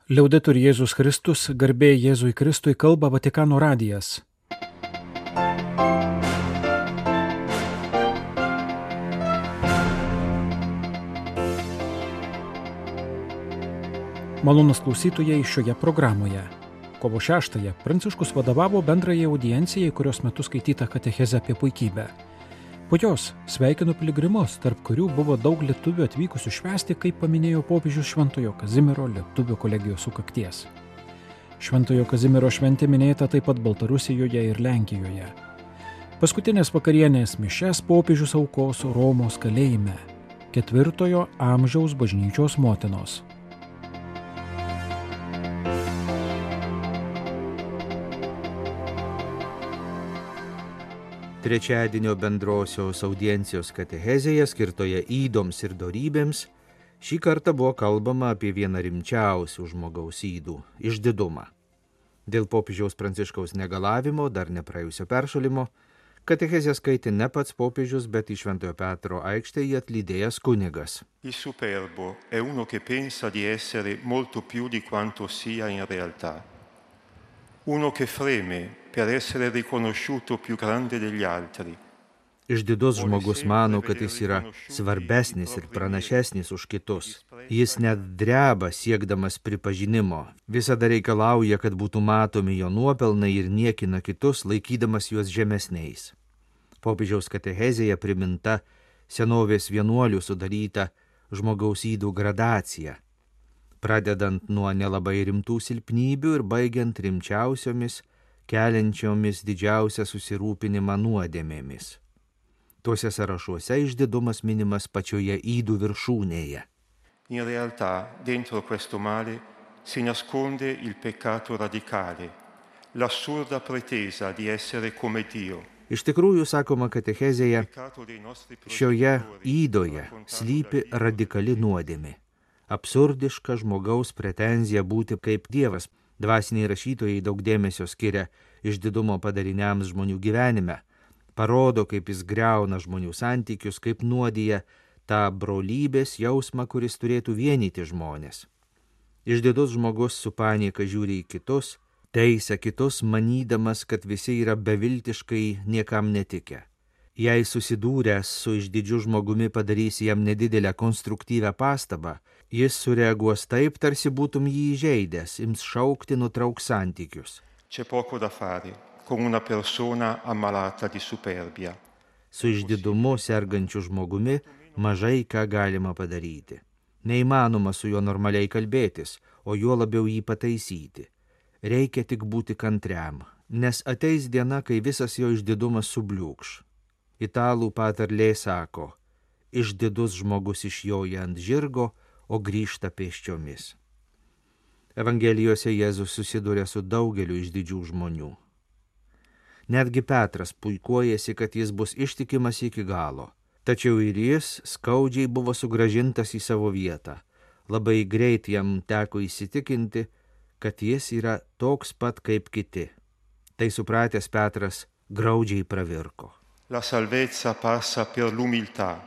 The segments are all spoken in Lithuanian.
Liaudetur Jėzus Kristus, garbė Jėzui Kristui, kalba Vatikano radijas. Malonūs klausytojai šioje programoje. Kovo 6-ąją Pranciškus vadovavo bendrajai audiencijai, kurios metu skaityta katechezė apie puikybę. Po jos sveikino piligrimus, tarp kurių buvo daug lietuvių atvykusių švęsti, kaip paminėjo popiežius Šventojo Kazimiero lietuvių kolegijos sukakties. Šventojo Kazimiero šventė minėta taip pat Baltarusijoje ir Lenkijoje. Paskutinės vakarienės mišias popiežius aukos Romos kalėjime, 4 amžiaus bažnyčios motinos. Trečiadienio bendrosios audiencijos katechezėje skirtoje ydoms ir dorybėms šį kartą buvo kalbama apie vieną rimčiausių žmogaus ydų – išdidumą. Dėl popiežiaus Pranciškaus negalavimo, dar nepraėjusio peršalimo, katechezę skaitė ne pats popiežius, bet į Šventojo Petro aikštę jį atlydėjęs kunigas. Il superbo è uno che pensa di essere molto più di quanto sia in realtà. Uno che freme per essere riconosciuto più grande degli altri. Išdidus žmogus mano, kad jis yra svarbesnis ir pranašesnis už kitus. Jis net dreba siekdamas pripažinimo. Visada reikalauja, kad būtų matomi jo nuopelnai ir niekina kitus, laikydamas juos žemesniais. Popiežiaus katechezėje priminta senovės vienuolių sudaryta žmogaus ydų gradacija, pradedant nuo nelabai rimtų silpnybių ir baigiant rimčiausiomis, keliančiomis didžiausią susirūpinimą nuodėmėmis. Tuose sąrašuose išdidumas minimas pačioje ydų viršūnėje. In realtà, dentro questo male si nasconde il peccato radicale, l'assurda pretesa di essere come Dio. Iš tikrųjų, sakoma katechezėje, šioje ydoje slypi radikali nuodėmė. Absurdiška žmogaus pretenzija būti kaip Dievas. Dvasiniai rašytojai daug dėmesio skiria išdidumo padariniams žmonių gyvenime. Parodo, kaip jis griauna žmonių santykius, kaip nuodija tą brolybės jausmą, kuris turėtų vienyti žmonės. Išdidus žmogus su panieka žiūri į kitus, teisia kitus, manydamas, kad visi yra beviltiškai niekam netikę. Jei susidūręs su išdidžiu žmogumi padarysi jam nedidelę konstruktyvę pastabą, jis sureaguos taip, tarsi būtum jį įžeidęs, ims šaukti, nutrauks santykius. C'è poco da fare con una persona ammalata di superbia. Su išdidumu sergančiu žmogumi mažai ką galima padaryti. Neįmanoma su juo normaliai kalbėtis, o juo labiau jį pataisyti. Reikia tik būti kantriam, nes ateis diena, kai visas jo išdidumas subliūkš. Italų patarlė sako, išdidus žmogus išjoja ant žirgo, o grįžta pėsčiomis. Evangelijose Jėzus susiduria su daugeliu išdidžių žmonių. Netgi Petras puikuojasi, kad jis bus ištikimas iki galo, tačiau ir jis skaudžiai buvo sugrąžintas į savo vietą. Labai greit jam teko įsitikinti, kad jis yra toks pat kaip kiti. Tai supratęs Petras graudžiai pravirko. La salvezza passa per l'umiltà,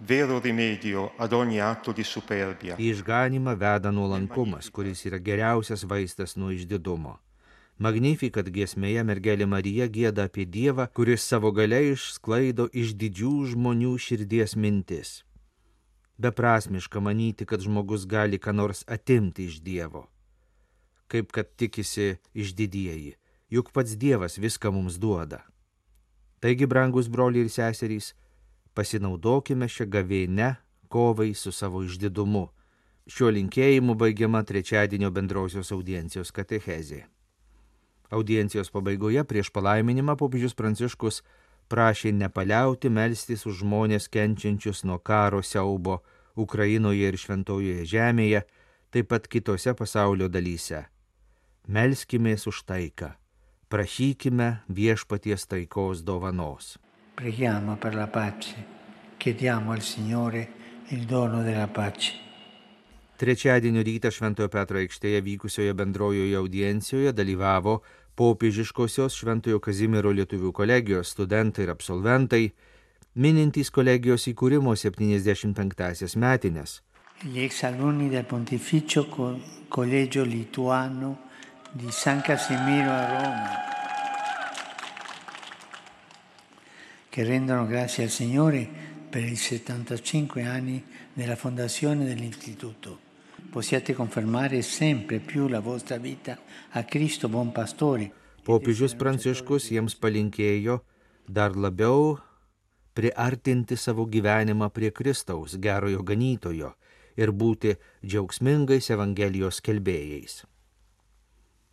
vero rimedio ad ogni atto di superbia. Į išganymą veda nuolankumas, kuris yra geriausias vaistas nuo išdidumo. Magnificat giesmėje mergelė Marija gieda apie Dievą, kuris savo galia išsklaido išdidžių žmonių širdies mintis. Beprasmiška manyti, kad žmogus gali ką nors atimti iš Dievo, kaip kad tikisi išdidieji, juk pats Dievas viską mums duoda. Taigi, brangus broliai ir seserys, pasinaudokime šią gavėnią kovai su savo išdidumu. Šiuo linkėjimu baigiama trečiadienio bendrosios audiencijos katechezė. Audiencijos pabaigoje prieš palaiminimą popiežius Pranciškus prašė nepaliauti melstis už žmonės kenčiančius nuo karo siaubo Ukrainoje ir Šventojoje žemėje, taip pat kitose pasaulio dalyse. Melskimės už taiką. Prašykime viešpaties taikos dovanos. Preghiamo per la pace, chiediamo al Signore il dono della pace. Trečiadienio rytą Šventojo Petro aikštėje vykusioje bendrojoje audiencijoje dalyvavo popiežiškosios Šventojo Kazimiero lietuvių kolegijos studentai ir absolventai, minintys kolegijos įkūrimo 75-asias metines. Gli ex alunni del pontificio Collegio Lituano di San Casimiro a Roma, che rendono grazie al Signore per i 75 anni della fondazione dell'istituto. Possiate confermare sempre più la vostra vita a Cristo buon pastore. Popiežius Pranciškus jiems palinkėjo dar labiau priartinti savo gyvenimą prie Kristaus, gerojo ganytojo, ir būti džiaugsmingais Evangelijos skelbėjais.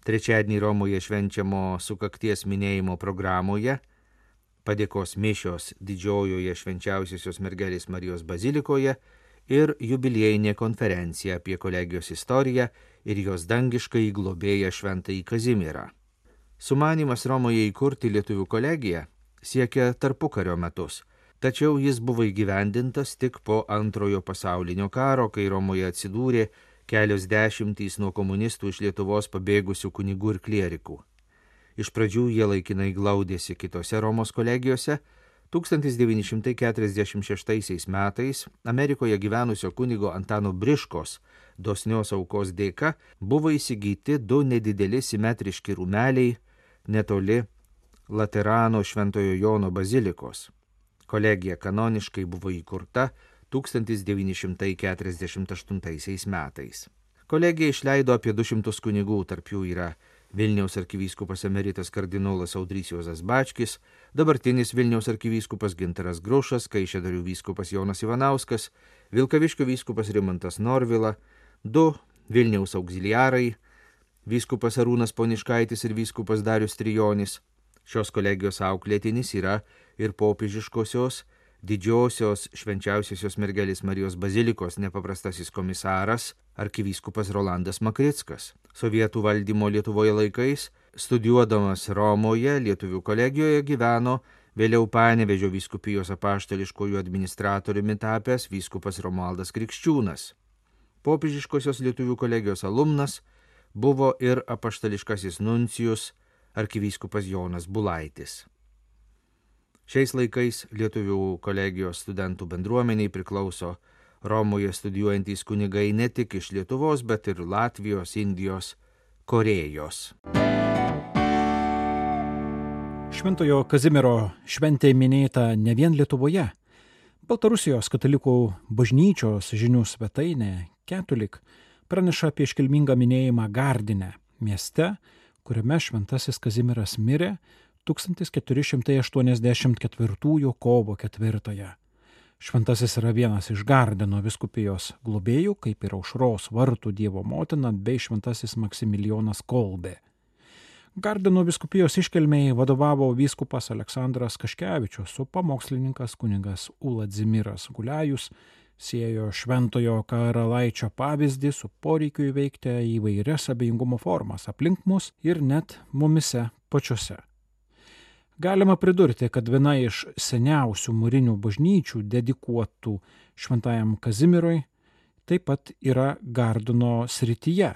Trečiadienį Romoje švenčiamo sukakties minėjimo programoje padėkos mišios Didžiojoje švenčiausiosios mergelės Marijos bazilikoje ir jubiliejinė konferencija apie kolegijos istoriją ir jos dangiškai globėją Šventąjį Kazimierą. Sumanymas Romoje įkurti lietuvių kolegiją siekia tarpukario metus, tačiau jis buvo įgyvendintas tik po Antrojo pasaulinio karo, kai Romoje atsidūrė kelios dešimtys nuo komunistų iš Lietuvos pabėgusių kunigų ir klierikų. Iš pradžių jie laikinai glaudėsi kitose Romos kolegijose. 1946 metais Amerikoje gyvenusio kunigo Antano Briškos dosnios aukos dėka buvo įsigyti 2 nedideli simetriški rūmeliai netoli Laterano Šventojo Jono bazilikos. Kolegija kanoniškai buvo įkurta 1948 metais. Kolegija išleido apie 200 kunigų, tarp jų yra Vilniaus arkivyskupas emeritas kardinolas Audrys Juozas Bačkis, dabartinis Vilniaus arkivyskupas Gintaras Grušas, Kaišiadorių vyskupas Jonas Ivanauskas, Vilkaviškio vyskupas Rimantas Norvila, 2 Vilniaus auxiliarai, vyskupas Arūnas Poniškaitis ir vyskupas Darius Trijonis. Šios kolegijos auklėtinis yra ir popiežiškosios Didžiosios švenčiausiosios mergelės Marijos bazilikos nepaprastasis komisaras arkivyskupas Rolandas Makrickas. Sovietų valdymo Lietuvoje laikais, studijuodamas Romoje, lietuvių kolegijoje gyveno vėliau Panevėžio vyskupijos apaštališkojų administratoriumi tapęs vyskupas Romualdas Krikščiūnas. Popiežiškosios lietuvių kolegijos alumnas buvo ir apaštališkasis nuncijus arkivyskupas Jonas Bulaitis. Šiais laikais lietuvių kolegijos studentų bendruomeniai priklauso Romoje studijuojantys kunigai ne tik iš Lietuvos, bet ir Latvijos, Indijos, Korėjos. Šventojo Kazimiero šventė minėta ne vien Lietuvoje. Baltarusijos katalikų bažnyčios žinių svetainė Catholic praneša apie iškilmingą minėjimą Gardine, mieste, kuriame šventasis Kazimieras mirė 1484 kovo 4. Šventasis yra vienas iš Gardino vyskupijos globėjų, kaip ir Aušros vartų Dievo motina bei šventasis Maksimilijonas Kolbė. Gardino vyskupijos iškilmei vadovavo vyskupas Aleksandras Kaškevičius, su pamokslininkas kunigas Uladzimiras Guliajus siejo šventojo karalaičio pavyzdį su poreikiu įveikti įvairias abejingumo formas aplink mus ir net mumise pačiuose. Galima pridurti, kad viena iš seniausių mūrinių bažnyčių dedikuotų šventajam Kazimierui taip pat yra Gardino srityje.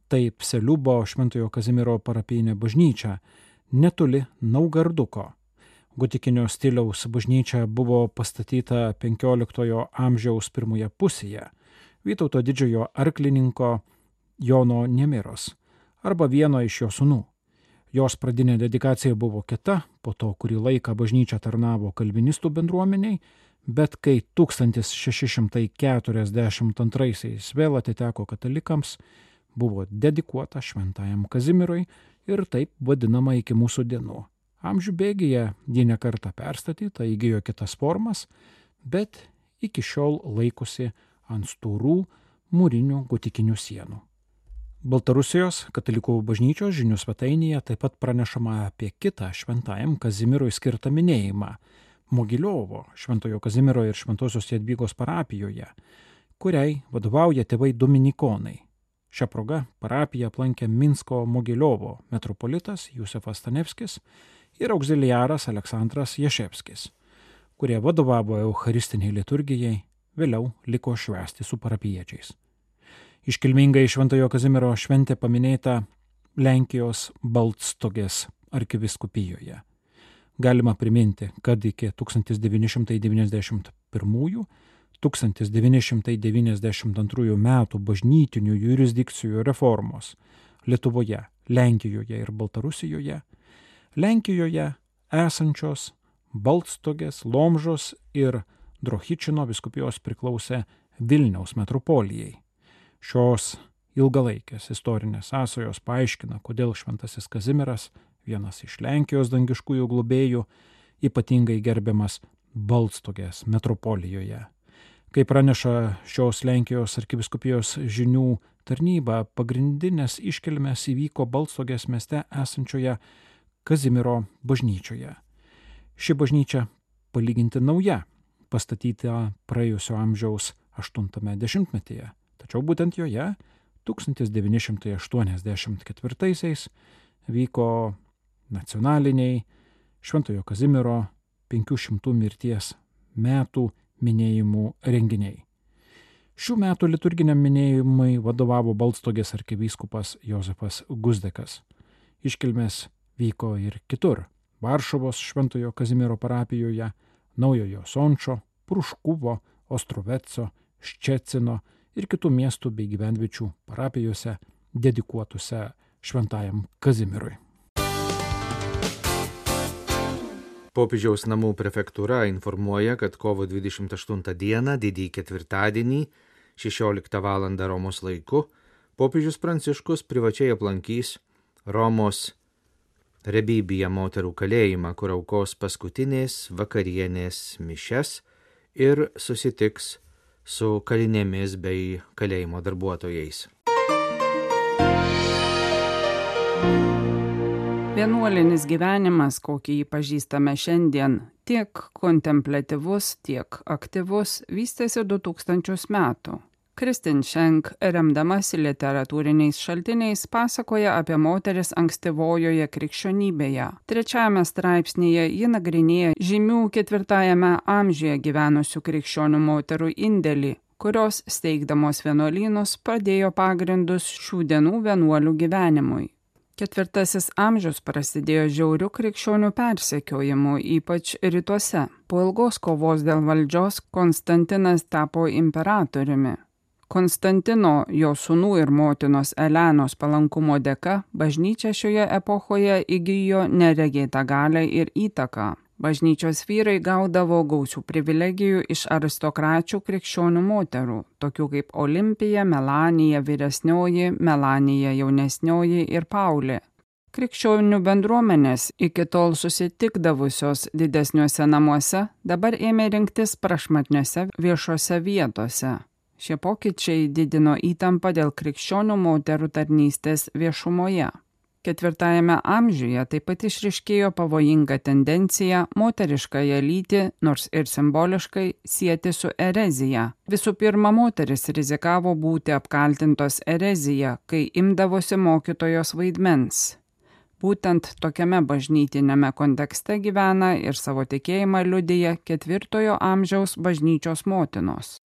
Tai Pseliubo šventojo Kazimiero parapijinė bažnyčia netoli Naugarduko. Gotikinio stiliaus bažnyčia buvo pastatyta 15 amžiaus pirmoje pusėje Vytauto didžiojo arklininko Jono Nemiros arba vieno iš jo sūnų. Jos pradinė dedikacija buvo kita, po to kurį laiką bažnyčia tarnavo kalvinistų bendruomeniai, bet kai 1642 vėl atiteko katalikams, buvo dedikuota šventajam Kazimierui ir taip vadinama iki mūsų dienų. Amžių bėgyje ji ne kartą perstatyta, įgijo kitas formas, bet iki šiol laikosi ant storų mūrinių gotikinių sienų. Baltarusijos katalikų bažnyčios žinių svetainėje taip pat pranešama apie kitą šventajam Kazimierui skirtą minėjimą Mogiliovo šventojo Kazimiero ir šventosios Jadvygos parapijoje, kuriai vadovauja tėvai dominikonai. Šią progą parapiją aplankė Minsko Mogiliovo metropolitas Jusefas Stanevskis ir auxiliaras Aleksandras Jaševskis, kurie vadovavo eucharistiniai liturgijai, vėliau liko švęsti su parapiečiais. Iškilmingai šventojo Kazimiero šventė paminėta Lenkijos Baltstogės arkiviskupijoje. Galima priminti, kad iki 1991 1992 m. bažnytinių jurisdikcijų reformos Lietuvoje, Lenkijoje ir Baltarusijoje, Lenkijoje esančios Baltstogės, Lomžos ir Drohičino vyskupijos priklausė Vilniaus metropolijai. Šios ilgalaikės istorinės sąsajos paaiškina, kodėl šventasis Kazimieras, vienas iš Lenkijos dangiškųjų globėjų, ypatingai gerbiamas Baltstogės metropolijoje. Kaip praneša šios Lenkijos arkivyskupijos žinių tarnyba, pagrindinės iškilmės įvyko Baltstogės mieste esančioje Kazimiero bažnyčioje. Ši bažnyčia palyginti nauja, pastatyta praėjusio amžiaus 80-metyje, tačiau būtent joje 1984 vyko nacionaliniai Šventojo Kazimiero 500 mirties metų minėjimų renginiai. Šių metų liturginiam minėjimui vadovavo Baltstogės arkivyskupas Jozefas Guzdekas. Iškilmės vyko ir kitur – Varšuvos Šventojo Kazimiero parapijoje, Naujojo Sončo, Pruškuvo, Ostroveco, Ščecino ir kitų miestų bei gyvenviečių parapijose dedikuotose Šventajam Kazimierui. Popiežiaus namų prefektūra informuoja, kad kovo 28 dieną, didįjį ketvirtadienį, 16 val. Romos laiku, popiežius Pranciškus privačiai aplankys Romos Rebibija moterų kalėjimą, kur aukos paskutinės vakarienės mišias ir susitiks su kalinėmis bei kalėjimo darbuotojais. Vienuolinis gyvenimas, kokį jį pažįstame šiandien, tiek kontempliatyvus, tiek aktyvus, vystėsi 2000 metų. Kristin Schenk, remdamasi literatūriniais šaltiniais, pasakoja apie moteris ankstyvojoje krikščionybėje. 3 straipsnyje ji nagrinėja žymių 4 amžiuje gyvenusių krikščionių moterų indėlį, kurios steigdamos vienuolynus padėjo pagrindus šių dienų vienuolių gyvenimui. 4 amžius prasidėjo žiauriu krikščionių persekiojimu, ypač rytuose. Po ilgos kovos dėl valdžios Konstantinas tapo imperatoriumi. Konstantino, jo sūnų ir motinos Elenos palankumo dėka, bažnyčia šioje epochoje įgijo neregėtą galią ir įtaką. Bažnyčios vyrai gaudavo gausių privilegijų iš aristokračių krikščionių moterų, tokių kaip Olimpija, Melanija vyresnioji, Melanija jaunesnioji ir Paulė. Krikščionių bendruomenės, iki tol susitikdavusios didesniuose namuose, dabar ėmė rinktis prašmatniuose viešose vietose. Šie pokyčiai didino įtampą dėl krikščionių moterų tarnystės viešumoje. 4 amžiuje taip pat išryškėjo pavojinga tendencija moteriškąją lytį, nors ir simboliškai, sieti su erezija. Visų pirma, moteris rizikavo būti apkaltintos erezija, kai imdavosi mokytojos vaidmens. Būtent tokiame bažnytiniame kontekste gyvena ir savo tikėjimą liudija 4 amžiaus bažnyčios motinos.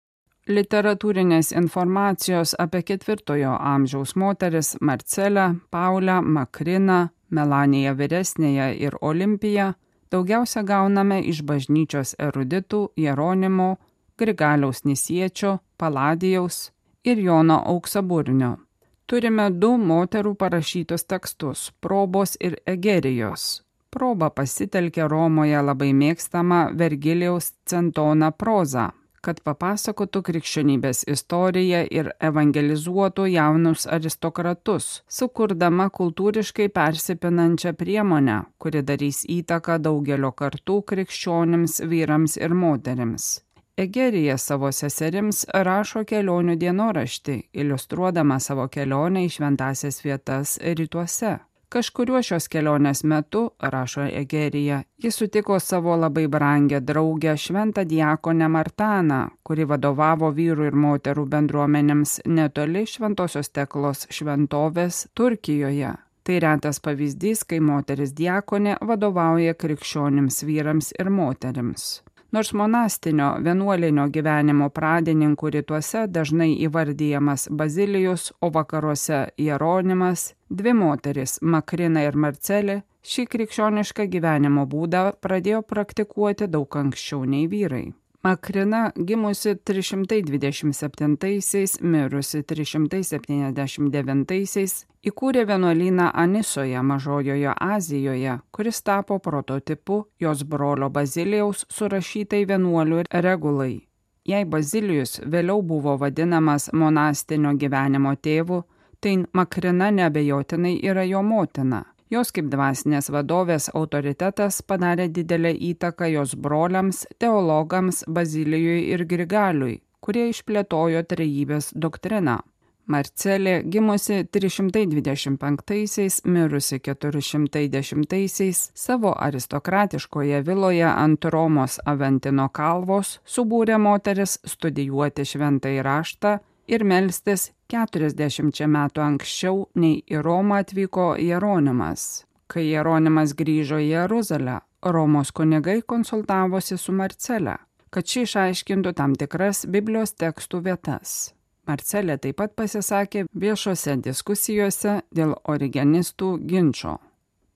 Literatūrinės informacijos apie 4 amžiaus moteris Marcelę, Paulę, Makriną, Melaniją vyresnėją ir Olimpiją daugiausia gauname iš bažnyčios eruditų Jeronimo, Grigaliaus Nisiečio, Paladijaus ir Jono Auksaburnio. Turime 2 moterų parašytus tekstus – Probos ir Egerijos. Proba pasitelkė Romoje labai mėgstamą Vergilijaus Centoną prozą, kad papasakotų krikščionybės istoriją ir evangelizuotų jaunus aristokratus, sukurdama kultūriškai persipinančią priemonę, kuri darys įtaką daugelio kartų krikščionims, vyrams ir moterims. Egerija savo seserims rašo kelionių dienoraštį, iliustruodama savo kelionę į šventąsias vietas rytuose. Kažkuriuo šios kelionės metu, rašo Egerija, jis sutiko savo labai brangę draugę šventą diakonę Martaną, kuri vadovavo vyrų ir moterų bendruomenėms netoli Šventosios Teklos šventovės Turkijoje. Tai retas pavyzdys, kai moteris diakonė vadovauja krikščionims vyrams ir moterims. Nors monastinio vienuolinio gyvenimo pradininkų rytuose dažnai įvardijamas Bazilijus, o vakaruose Jeronimas, 2 moteris, Makrina ir Marcelė, šį krikščionišką gyvenimo būdą pradėjo praktikuoti daug anksčiau nei vyrai. Makrina, gimusi 327, mirusi 379, įkūrė vienuolyną Anisoje, Mažojoje Azijoje, kuris tapo prototipu jos brolio Bazilijaus surašytai vienuolių regulai. Jei Bazilijus vėliau buvo vadinamas monastinio gyvenimo tėvu, tai Makrina neabejotinai yra jo motina. Jos kaip dvasinės vadovės autoritetas padarė didelę įtaką jos broliams, teologams Bazilijui ir Grigaliui, kurie išplėtojo trejybės doktriną. Marcelė, gimusi 325, mirusi 410, savo aristokratiškoje viloje ant Romos Aventino kalvos subūrė moteris studijuoti šventąjį raštą ir melstis 40 metų anksčiau nei į Romą atvyko Jeronimas. Kai Jeronimas grįžo į Jeruzalę, Romos kunigai konsultavosi su Marcelė, kad ši išaiškintų tam tikras Biblijos tekstų vietas. Marcelė taip pat pasisakė viešose diskusijose dėl origenistų ginčo.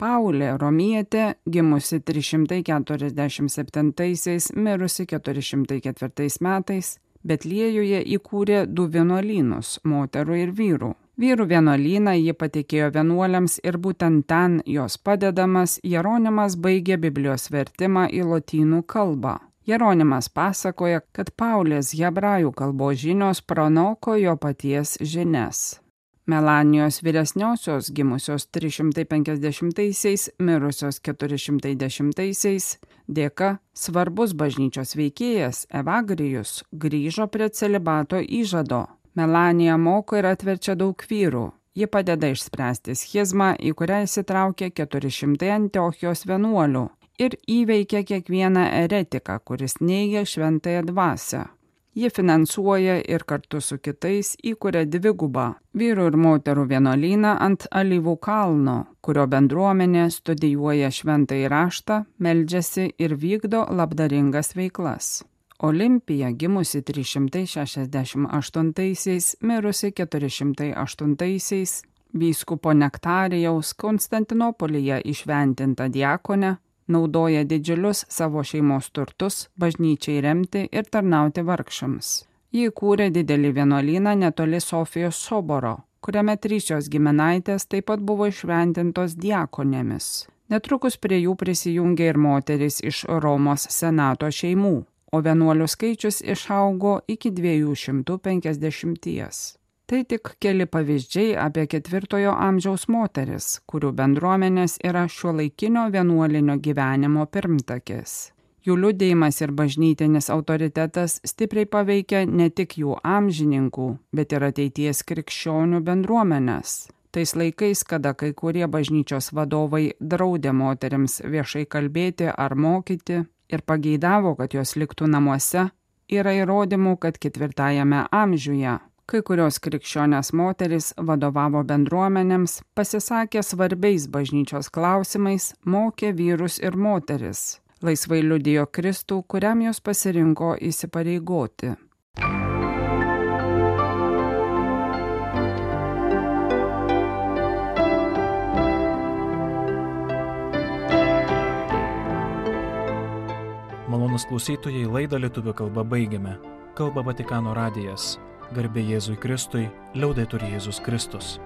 Paulė Romietė, gimusi 347, mirusi 404 metais, Betliejuje įkūrė 2 vienuolynus – moterų ir vyrų. Vyrų vienuolyną ji patikėjo vienuoliams ir būtent ten jos padedamas Jeronimas baigė Biblijos vertimą į lotynų kalbą. Jeronimas pasakoja, kad Paulės hebrajų kalbos žinios pranoko jo paties žinias. Melanijos vyresniosios, gimusios 350, mirusios 410, dėka svarbus bažnyčios veikėjas Evagrijus grįžo prie celibato įžado. Melanija moko ir atverčia daug vyrų. Ji padeda išspręsti schizmą, į kurią įsitraukė 400 Antiochijos vienuolių ir įveikia kiekvieną eretiką, kuris neigia šventąją dvasią. Ji finansuoja ir kartu su kitais įkuria dvigubą vyrų ir moterų vienuolyną ant Alyvų kalno, kurio bendruomenė studijuoja šventąjį raštą, meldžiasi ir vykdo labdaringas veiklas. Olimpija, gimusi 368, mirusi 408, vyskupo Nektarijaus Konstantinopolyje įšventinta diakonė, naudoja didžiulius savo šeimos turtus bažnyčiai remti ir tarnauti vargšams. Ji įkūrė didelį vienuolyną netoli Sofijos soboro, kuriame 3 jos giminaitės taip pat buvo išventintos diakonėmis. Netrukus prie jų prisijungė ir moterys iš Romos senato šeimų, o vienuolių skaičius išaugo iki 250. Tai tik keli pavyzdžiai apie 4 amžiaus moteris, kurių bendruomenės yra šiuolaikinio vienuolinio gyvenimo pirmtakės. Jų liudijimas ir bažnytinis autoritetas stipriai paveikia ne tik jų amžininkų, bet ir ateities krikščionių bendruomenės. Tais laikais, kada kai kurie bažnyčios vadovai draudė moterims viešai kalbėti ar mokyti ir pageidavo, kad jos liktų namuose, yra įrodymų, kad 4 amžiuje kai kurios krikščionės moterys vadovavo bendruomenėms, pasisakė svarbiais bažnyčios klausimais, mokė vyrus ir moteris, laisvai liudijo Kristų, kuriam jos pasirinko įsipareigoti. Malonūs klausytojai, laidą lietuvių kalba baigiame. Kalba Vatikano radijas. Garbė Jėzui Kristui, liaudetur Jėzus Kristus.